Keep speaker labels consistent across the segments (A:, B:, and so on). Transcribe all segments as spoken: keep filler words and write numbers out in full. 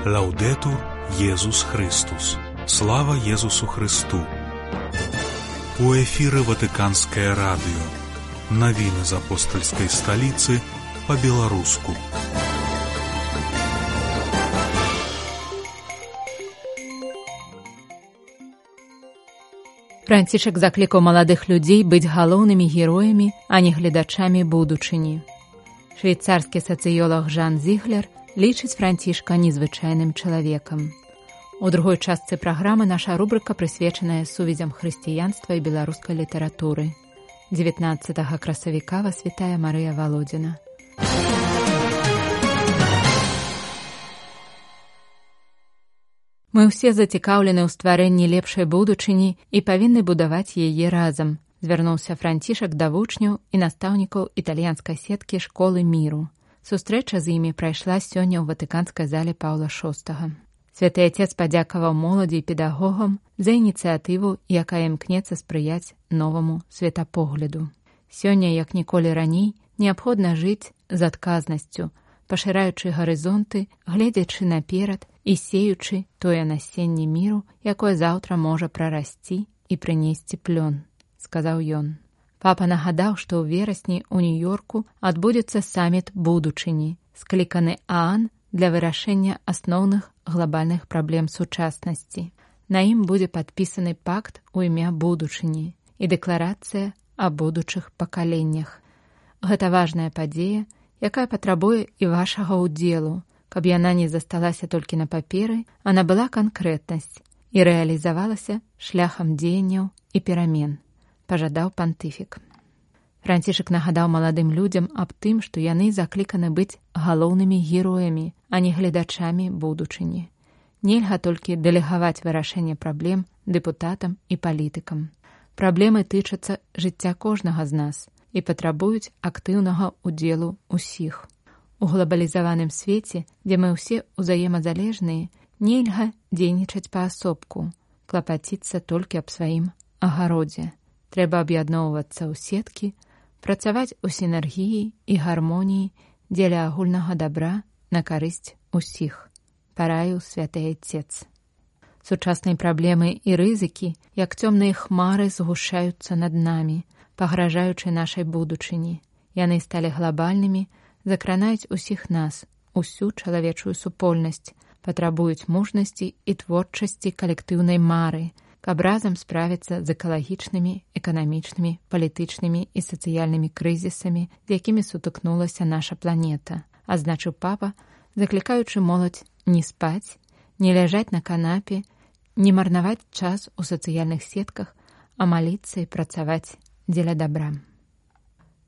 A: Лаўдетур Єсус Христус. Слава Єсусу Христу. У эфіры Ватыканскае радыё. Навіны з апостальскай сталіцы па-беларуску.
B: Францішак заклікаў маладых людзей быць галоўнымі героямі, а не гледачамі будучыні. Швейцарскі сацыёлаг Жан Зіглер лічыць Францішка незвычайным чалавекам. У другой частцы праграмы наша рубрыка прысвечаная сувязям хрысціянства і беларускай літаратуры. дзевятнаццатага красавіка вас вітае Марыя Валодзіна. Мы ўсе зацікаўлены ў стварэнні лепшай будучыні і павінны будаваць яе разам, звярнуўся Францішак да вучняў і настаўнікаў італьянскай сеткі школы міру. Сустрэча з імі прайшла сёння ў ватыканскай зале Паўла шостага. Святы Отец падзякаваў моладзі і педагогам за ініцыятыву, якая імкнецца спрыяць новаму светапогляду. Сёння, як ніколі раней, неабходна жыць з адказнасцю, пашыраючы гарызонты, гледзячы наперад і сеючы тое насенне міру, якое заўтра можа прарасці і прынесці плён, сказаў ён. Папа нагадаў, што ў верасні ў Нью-Йорку адбудзецца саміт будучыні, скліканы ААН для вырашэння асноўных глобальных праблем сучаснасці. На ім будзе падпісаны пакт у імя будучыні і дэкларацыя о будучых пакаленнях. Гэта важная падзея, якая патрабуе і вашага ўдзелу, каб яна не засталася толькі на паперы, а набыла канкрэтнасць і рэалізавалася шляхам дзеянняў і перамен, пажадаў пантыфік. Францішак нагадаў маладым людзям аб тым, што яны закліканы быць галоўнымі героямі, а не гледачамі будучыні. Нельга толькі дэлегаваць вырашэнне праблем дэпутатам і палітыкам. Праблемы тычацца жыцця кожнага з нас і патрабуюць актыўнага ўдзелу ўсіх. У глобалізаваным свеце, дзе мы ўсе ўзаемазалежныя, нельга дзейнічаць паасобку, клапаціцца толькі аб сваім агародзе. Трэба аб'ядноўвацца ў сеткі, працаваць у сінергіі і гармоніі дзеля агульнага дабра на карысць усіх, параіў святы Отец. Сучасныя праблемы і рызыкі, як цёмныя хмары, згушаюцца над намі, пагражаючы нашай будучыні. Яны сталі глобальнымі, закранаюць усіх нас, усю чалавечую супольнасць, патрабуюць мужнасці і творчасці калектыўнай мары, каб разам справіцца з экалагічнымі, эканамічнымі, палітычнымі і сацыяльнымі крызісамі, з якімі сутыкнулася наша планета, азначыў папа, заклікаючы моладзь не спаць, не ляжаць на канапе, не марнаваць час у сацыяльных сетках, а маліцца і працаваць дзеля дабра.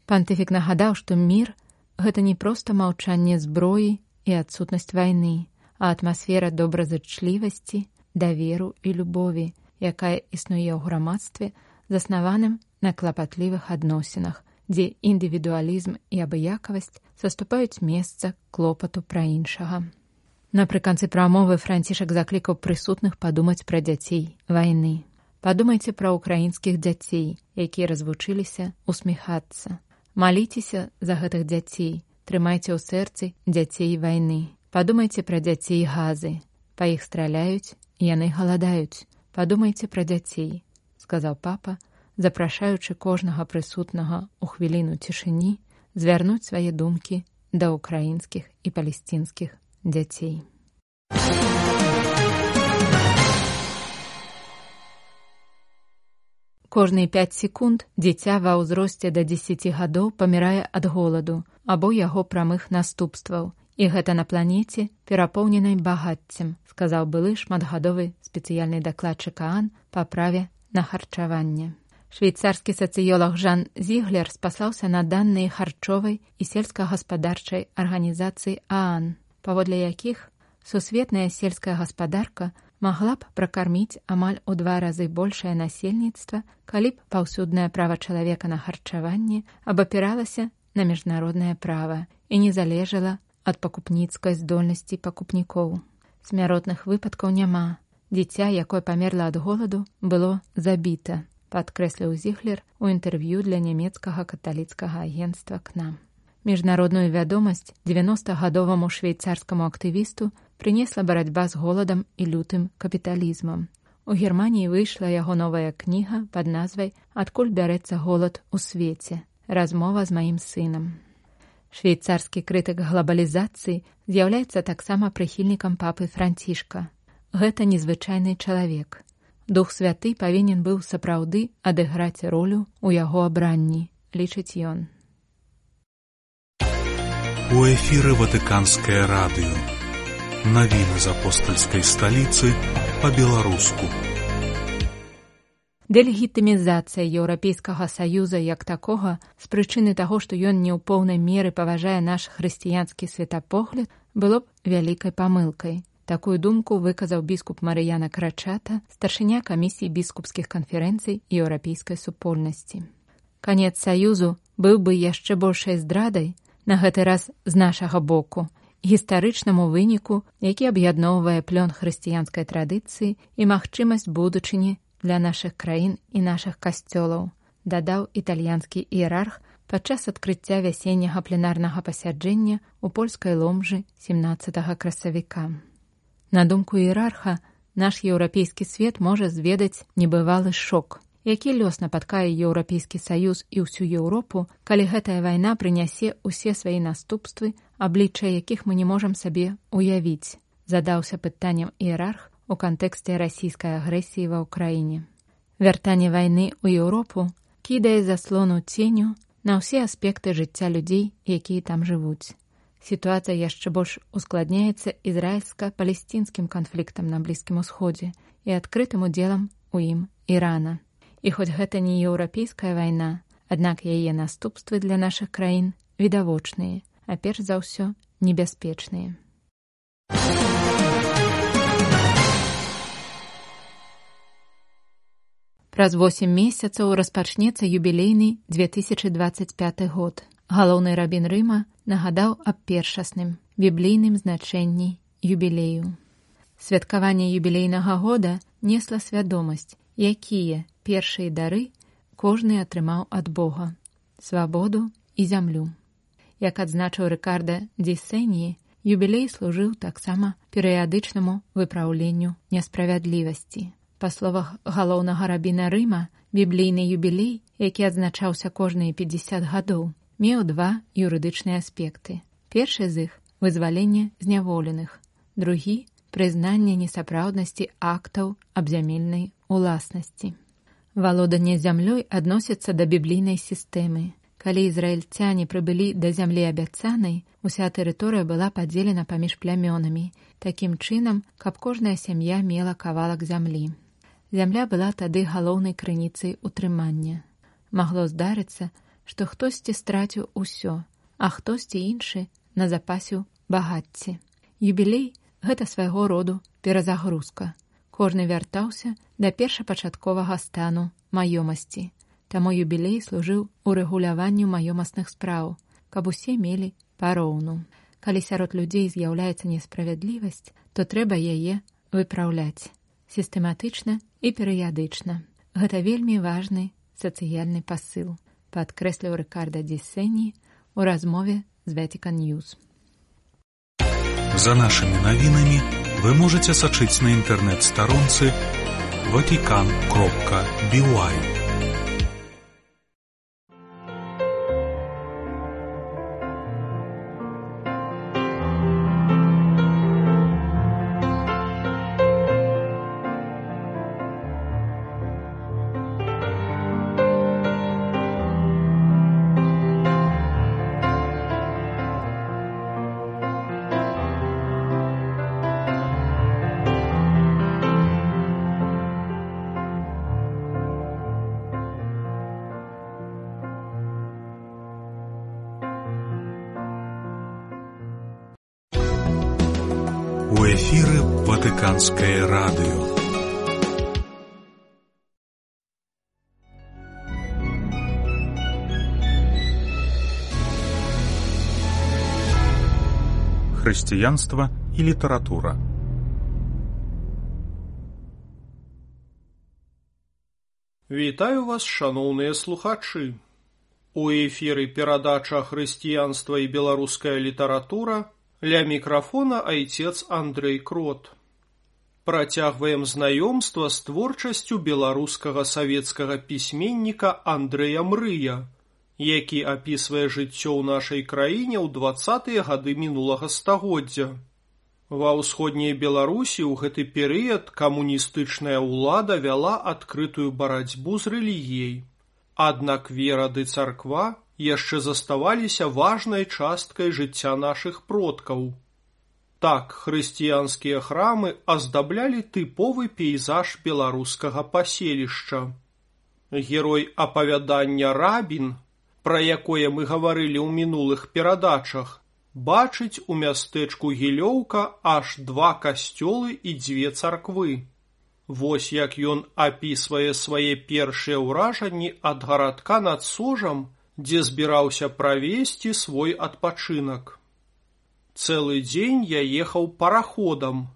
B: Пантыфік нагадаў, што мір — гэта не проста маўчанне зброі і адсутнасць вайны, а атмасфера добразычлівасці, даверу і любові, якая існуе ў грамадстве, заснаваным на клапатлівых адносінах, дзе індывідуалізм і абыякавасць саступаюць месца клопату пра іншага. Напрыканцы прамовы Францішак заклікаў прысутных падумаць пра дзяцей вайны. Падумайце пра ўкраінскіх дзяцей, якія развучыліся усміхацца. Маліцеся за гэтых дзяцей, трымайце ў сэрцы дзяцей вайны. Падумайце пра дзяцей Газы. Па іх страляюць, яны галадаюць. Падумайце пра дзяцей, сказаў папа, запрашаючы кожнага прысутнага ў хвіліну цішыні звярнуць свае думкі да ўкраінскіх і палесцінскіх дзяцей. Кожныя пяць секунд дзіця ва ўзросце да дзесяці гадоў памірае ад голаду або яго прамых наступстваў. І гэта на планеце, перапоўненай багаццем, сказаў былы шматгадовы спецыяльны дакладчык ААН па праве на харчаванне. Швейцарскі сацыёлаг Жан Зіглер спаслаўся на даныя харчовай і сельскагаспадарчай арганізацыі ААН, паводле якіх сусветная сельская гаспадарка магла б пракарміць амаль у два разы большае насельніцтва, калі б паўсюднае права чалавека на харчаванне абапіралася на міжнароднае права і не залежала ад пакупніцкай здольнасці пакупнікоў. Смяротных выпадкаў няма. Дзіця, якое памерла ад голаду, было забіта, падкрэсліў Зіглер у інтэрв'ю для нямецкага каталіцкага агенцтва «К нам». Міжнародную вядомасць дзевяностагадоваму швейцарскаму актывісту прынесла барацьба з голадам і лютым капіталізмам. У Германіі выйшла яго новая кніга пад назвай «Адкуль бярэцца голад у свеце. Размова з маім сынам». Швейцарскі крытык глабалізацыі з'яўляецца таксама прыхільнікам папы Францішка. Гэта незвычайны чалавек. Дух святы павінен быў сапраўды адыграць ролю ў яго абранні, лічыць ён.
A: У эфіры Ватыканскае радыё. Навіны з апостальскай сталіцы па-беларуску.
B: Дэлегітымізацыя Еўрапейскага Саюза як такога з прычыны таго, што ён не ў поўнай меры паважае наш хрысціянскі светапогляд, было б вялікай памылкай. Такую думку выказаў біскуп Марыяна Крачата, старшыня камісіі біскупскіх канферэнцый еўрапейскай супольнасці. Канец Саюзу быў бы яшчэ большай здрадай, на гэты раз з нашага боку, гістарычнаму выніку, які аб'ядноўвае плён хрысціянскай традыцыі і магчымасць будучыні для нашых краін і нашых касцёлаў, дадаў італьянскі іерарх падчас адкрыцця вясенняга пленарнага пасяджэння ў польскай Ломжы семнаццатага красавіка. На думку іерарха, наш еўрапейскі свет можа зведаць небывалы шок, які лёс напаткае Еўрапейскі Саюз і ўсю Еўропу, калі гэтая вайна прынясе ўсе свае наступствы, аблічча якіх мы не можам сабе уявіць, задаўся пытаннем іерарх у кантэксце расійскай агрэсіі ва ўкраіне. Вяртанне вайны ў Еўропу кідае заслону ценю на ўсе аспекты жыцця людзей, якія там жывуць. Сітуацыя яшчэ больш ускладняецца ізраільска-палестінскім канфліктам на Блізкім Усходзе і адкрытым удзелам у ім Ірана. І хоць гэта не еўрапейская вайна, аднак яе наступствы для нашых краін відавочныя, а перш за ўсё небяспечныя. Праз восем месяцаў распачнецца юбілейны две тысячы дваццаць пяты год. Галоўны рабін Рыма нагадаў аб першасным, біблійным значэнні юбілею. Святкаванне юбілейнага года несла свядомасць, якія першыя дары кожны атрымаў ад Бога – свабоду і зямлю. Як адзначыў Рыкарда Дзісені, юбілей служыў таксама перыядычнаму выпраўленню несправядлівасці. Па словах галоўнага рабіна Рыма, біблійны юбілей, які адзначаўся кожныя пятьдесят гадоў, меў два юрыдычныя аспекты. Першы з іх – вызваленне зняволеных, другі – прызнанне несапраўднасці актаў абзямельнай уласнасці. Валоданне зямлёй адносіцца да біблійнай сістэмы. Калі ізраільцяне прыбылі да зямлі абяцанай, уся тэрыторыя была падзелена паміж плямёнамі, такім чынам, каб кожная сям'я мела кавалак зямлі. Зямля была тады галоўнай крыніцай утрымання. Магло здарыцца, што хтосьці страціў усё, а хтосьці іншы назапасіў багацці. Юбілей – гэта свайго роду перазагрузка. Кожны вяртаўся да першапачатковага стану маёмасці. Таму юбілей служыў урэгуляванню маёмасных спраў, каб усе мелі пароўну. Калі сярод людзей з'яўляецца несправядлівасць, то трэба яе выпраўляць сістэматычна і перыядычна. Гэта вельмі важны сацыяльны пасыл, падкрэсліў Рыкарда Дзісені ў размове з Vatican News.
A: За нашымі навінамі вы можаце сачыць на інтэрнэт-старонцы ватикан кропка би уай. У эфіры Ватыканскае радыё. Хрысціянства і літаратура.
C: Вітаю вас, шаноўныя слухачы. У эфіры перадача «Хрысціянства і беларуская літаратура», ля мікрафона айцец Андрэй Крот. Працягваем знаёмства з творчасцю беларускага савецкага пісьменніка Андрэя Мрыя, які апісвае жыццё ў нашай краіне ў дваццатыя гады мінулага стагоддзя. Ва ўсходняй Беларусі ў гэты перыяд камуністычная ўлада вяла адкрытую барацьбу з рэлігіяй. Аднак вера ды царква яшчэ заставаліся важнай часткай жыцця нашых продкаў. Так, хрысціянскія храмы аздаблялі тыповы пейзаж беларускага паселішча. Герой апавядання Рабін, пра якое мы гаварылі ў минулых перадачах, бачыць у мястэчку Гілёўка аж два касцёлы і дзве царквы. Вось як ён апісвае свае першыя ўражанні ад гарадка над Сожам, дзе збіраўся правесці свой адпачынак. Цэлы дзень я ехаў параходам,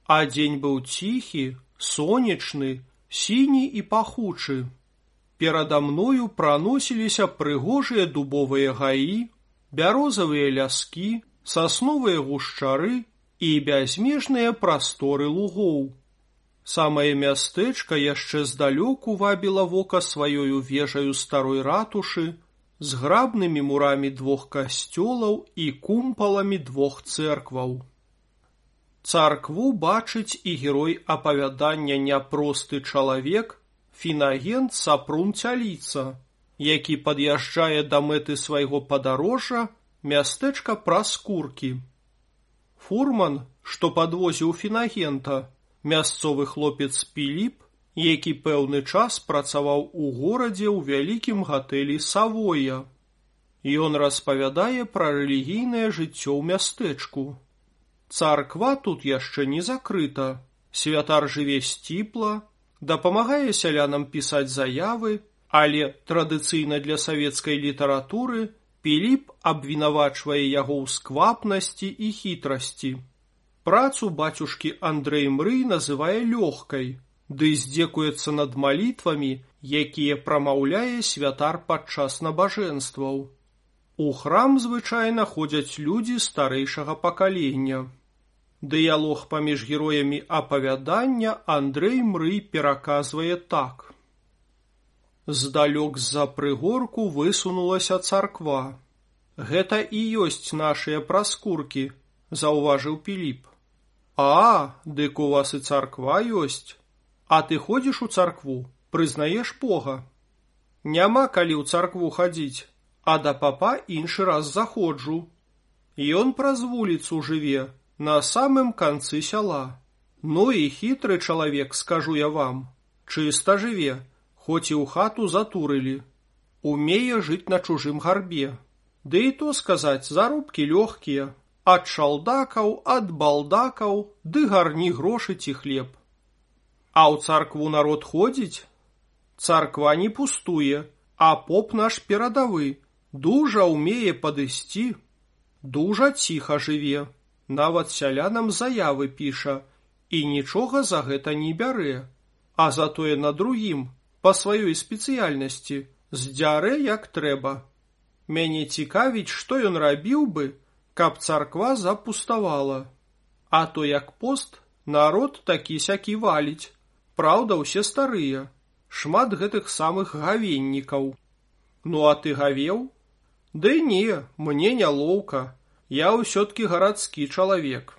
C: а дзень быў ціхі, сонечны, сіні і пахучы. Перада мною праносіліся прыгожыя дубовыя гаі, бярозавыя ляскі, сасновыя гушчары і бязмежныя прасторы лугоў. Самае мястэчка яшчэ здалёку вабіла вока сваёю вежаю старой ратушы, з грабнымі мурамі двух касцёлаў і кумпаламі двух цэркваў. Царкву бачыць і герой апавядання «Няпросты чалавек» Фінагент Сапрун Цяліца, які пад'язджае да мэты свайго падарожжа мястэчка Праскуркі. Фурман, што падвозіў Фінагента, мясцовы хлопец Піліп, які пэўны час працаваў у горадзе ў вялікім гатэлі «Савоя». Ён распавядае пра рэлігійнае жыццё ў мястэчку. Царква тут яшчэ не закрыта, святар жыве сціпла, дапамагае сялянам пісаць заявы, але традыцыйна для савецкай літаратуры Піліп абвінавачвае яго ў сквапнасці і хітрасці. Працу бацюшкі Андрэй Мрый называе лёгкай, ды здзекуецца над малітвамі, якія прамаўляе святар падчас набажэнстваў. У храм звычайна ходзяць людзі старэйшага пакалення. Дыялог паміж героямі апавядання Андрэй Мрый пераказвае так. Здалёк з-за прыгорку высунулася царква. Гэта і ёсць нашыя праскуркі, заўважыў Піліп. А, дык у вас і царква ёсць. А ты ходзіш у царкву, прызнаеш Бога? Няма калі ў царкву хадзіць, а да папа іншы раз заходжу. Ён праз вуліцу жыве, на самым канцы сяла. Ну і хітры чалавек, скажу я вам. Чыста жыве, хоць і ў хату затурылі. Умее жыць на чужым гарбе. Ды і то сказаць, заробкі лёгкія. Ад шалдакаў, ад балдакаў, ды гарні грошы ці хлеб. А ў царкву народ ходзіць? Царква не пустуе, а поп наш перадавы, дужа ўмее падысці. Дужа ціха жыве, нават сялянам заявы піша, і нічога за гэта не бярэ, а затое на другім, па сваёй спецыяльнасці, здзярэ як трэба. Мяне цікавіць, што ён рабіў бы, каб царква запуставала. А то як пост, народ такі-сякі валіць. Праўда, усе старыя, шмат гэтых самых гавеннікаў. Ну а ты гавеў? Ды не, мне нялоўка, я ўсё-ткі гарадскі чалавек.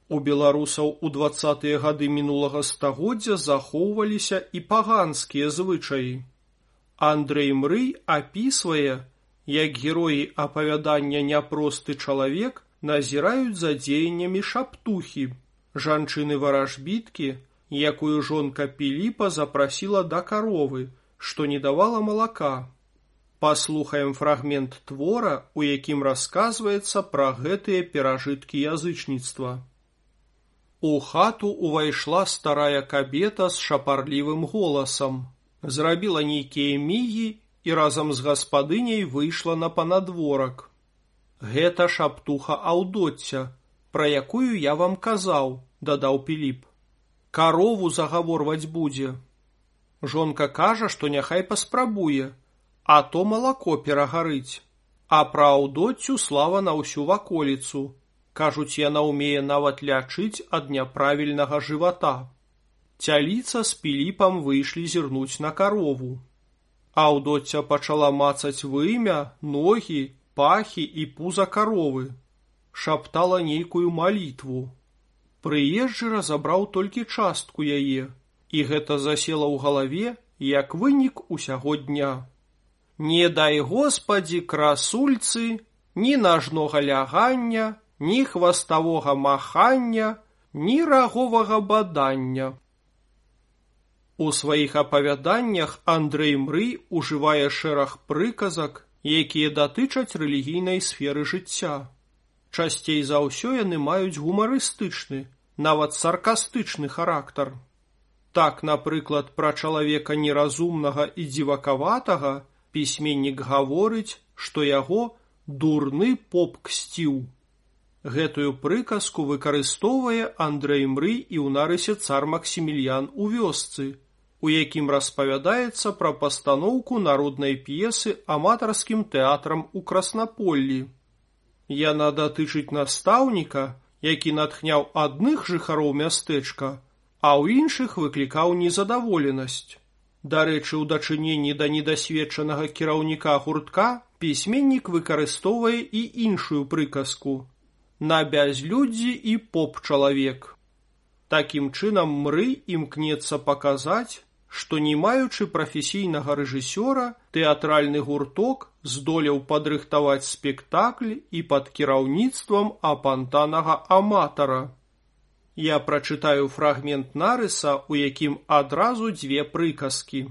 C: У беларусаў у дваццатыя гады мінулага стагоддзя захоўваліся і паганскія звычаі. Андрэй Мрый апісвае, як героі апавядання «Няпросты чалавек» назіраюць за дзеяннямі шаптухі, жанчыны-варажбіткі, якую жонка Піліпа запрасіла да каровы, што не давала малака. Паслухаем фрагмент твора, у якім расказваецца пра гэтыя перажыткі язычніцтва. У хату увайшла старая кабета з шапарлівым голасам, зрабіла нейкія мігі і разам з гаспадыняй выйшла на панадворак. Гэта шаптуха Аўдоцця, пра якую я вам казаў, дадаў Піліп. Карову загаворваць будзе. Жонка кажа, што няхай паспрабуе, а то малако перагарыць. А пра Аўдоццю слава на ўсю ваколіцу. Кажуць, яна ўмее нават лячыць ад няправільнага жывата. Цяліца з Піліпам выйшлі зірнуць на карову. Аўдоцця пачала мацаць вымя, ногі, пахі і пуза каровы. Шаптала нейкую малітву. Прыезджы разабраў толькі частку яе, і гэта засела ў галаве, як вынік усяго дня. Не дай Господі красульцы, ні нажнога лягання, ні хваставога махання, ні раговага бадання. У сваіх апавяданнях Андрэй Мрый ужывае шэраг прыказак, якія датычаць рэлігійнай сферы жыцця. Часцей за ўсё яны маюць гумарыстычны, нават саркастычны характар. Так, напрыклад, пра чалавека неразумнага і дзівакаватага пісьменнік гаворыць, што яго дурны поп ксціў. Гэтую прыказку выкарыстоўвае Андрэй Мрый і ў нарысе цар Максіміліян у вёсцы, у якім распавядаецца пра пастаноўку народнай п'есы аматарскім тэатрам у Краснаполлі. Яна датычыць настаўніка, які натхняў адных жыхароў мястэчка, а ў іншых выклікаў незадаволенасць. Дарэчы, у дачыненні да недасведчанага кіраўніка гуртка пісьменнік выкарыстоўвае і іншую прыказку «На бязлюддзі і поп-чалавек». Такім чынам Мрый імкнецца паказаць, што не маючы прафесійнага рэжысёра, тэатральны гурток здолеў падрыхтаваць спектакль і пад кіраўніцтвам апантанага аматара. Я прачытаю фрагмент нарыса, у якім адразу дзве прыказкі.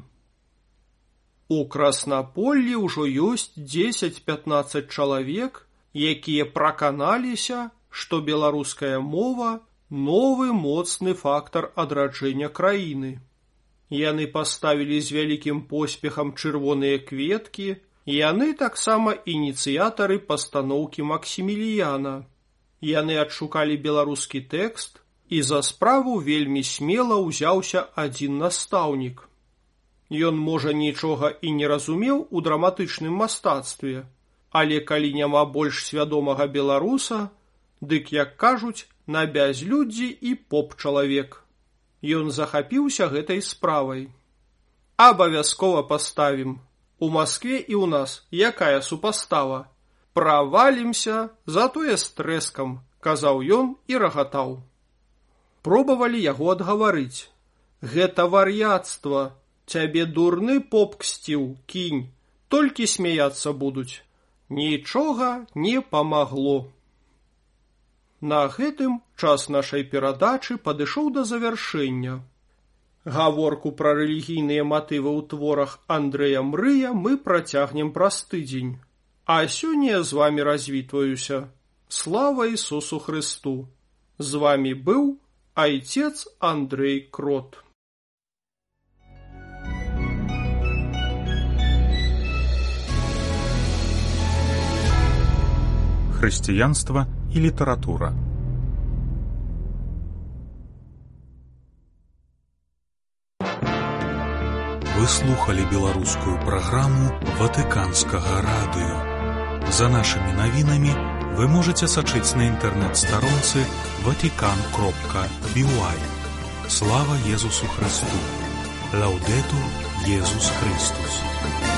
C: У Краснаполлі ўжо ёсць дзесяць-пятнаццаць чалавек, якія праканаліся, што беларуская мова – новы моцны фактар адраджэння краіны. Яны паставілі з вялікім поспехам чырвоныя кветкі, яны таксама ініцыятары пастаноўкі Максіміліяна. Яны адшукалі беларускі тэкст, і за справу вельмі смела ўзяўся адзін настаўнік. Ён, можа, нічога і не разумеў у драматычным мастацтве, але калі няма больш свядомага беларуса, дык, як кажуць, на бязлюддзі і поп-чалавек. Ён захапіўся гэтай справай. Абавязкова паставім. У Маскве і ў нас якая супастава? Правалімся, затое з трэскам, казаў ён і рагатаў. Пробавалі яго адгаварыць. Гэта вар'яцтва. Цябе дурны поп ксціў, кінь. Толькі смяяцца будуць. Нічога не памагло. На гэтым час нашай перадачы падышоў да завяршэння. Гаворку пра рэлігійныя матывы ў творах Андрэя Мрыя мы працягнем праз тыдзень. А сёння з вамі развітваюся. Слава Ісусу Хрысту! З вамі быў айцец Андрэй Крот.
A: Хрысціянства і літаратура. Вы слухали беларускую праграму Ватыканскага радыё. За нашымі навінамі вы можаце сачыць на інтэрнэт-старонцы ватикан кропка би уай. Слава Езусу Христу! Лаудетур Езус Христус!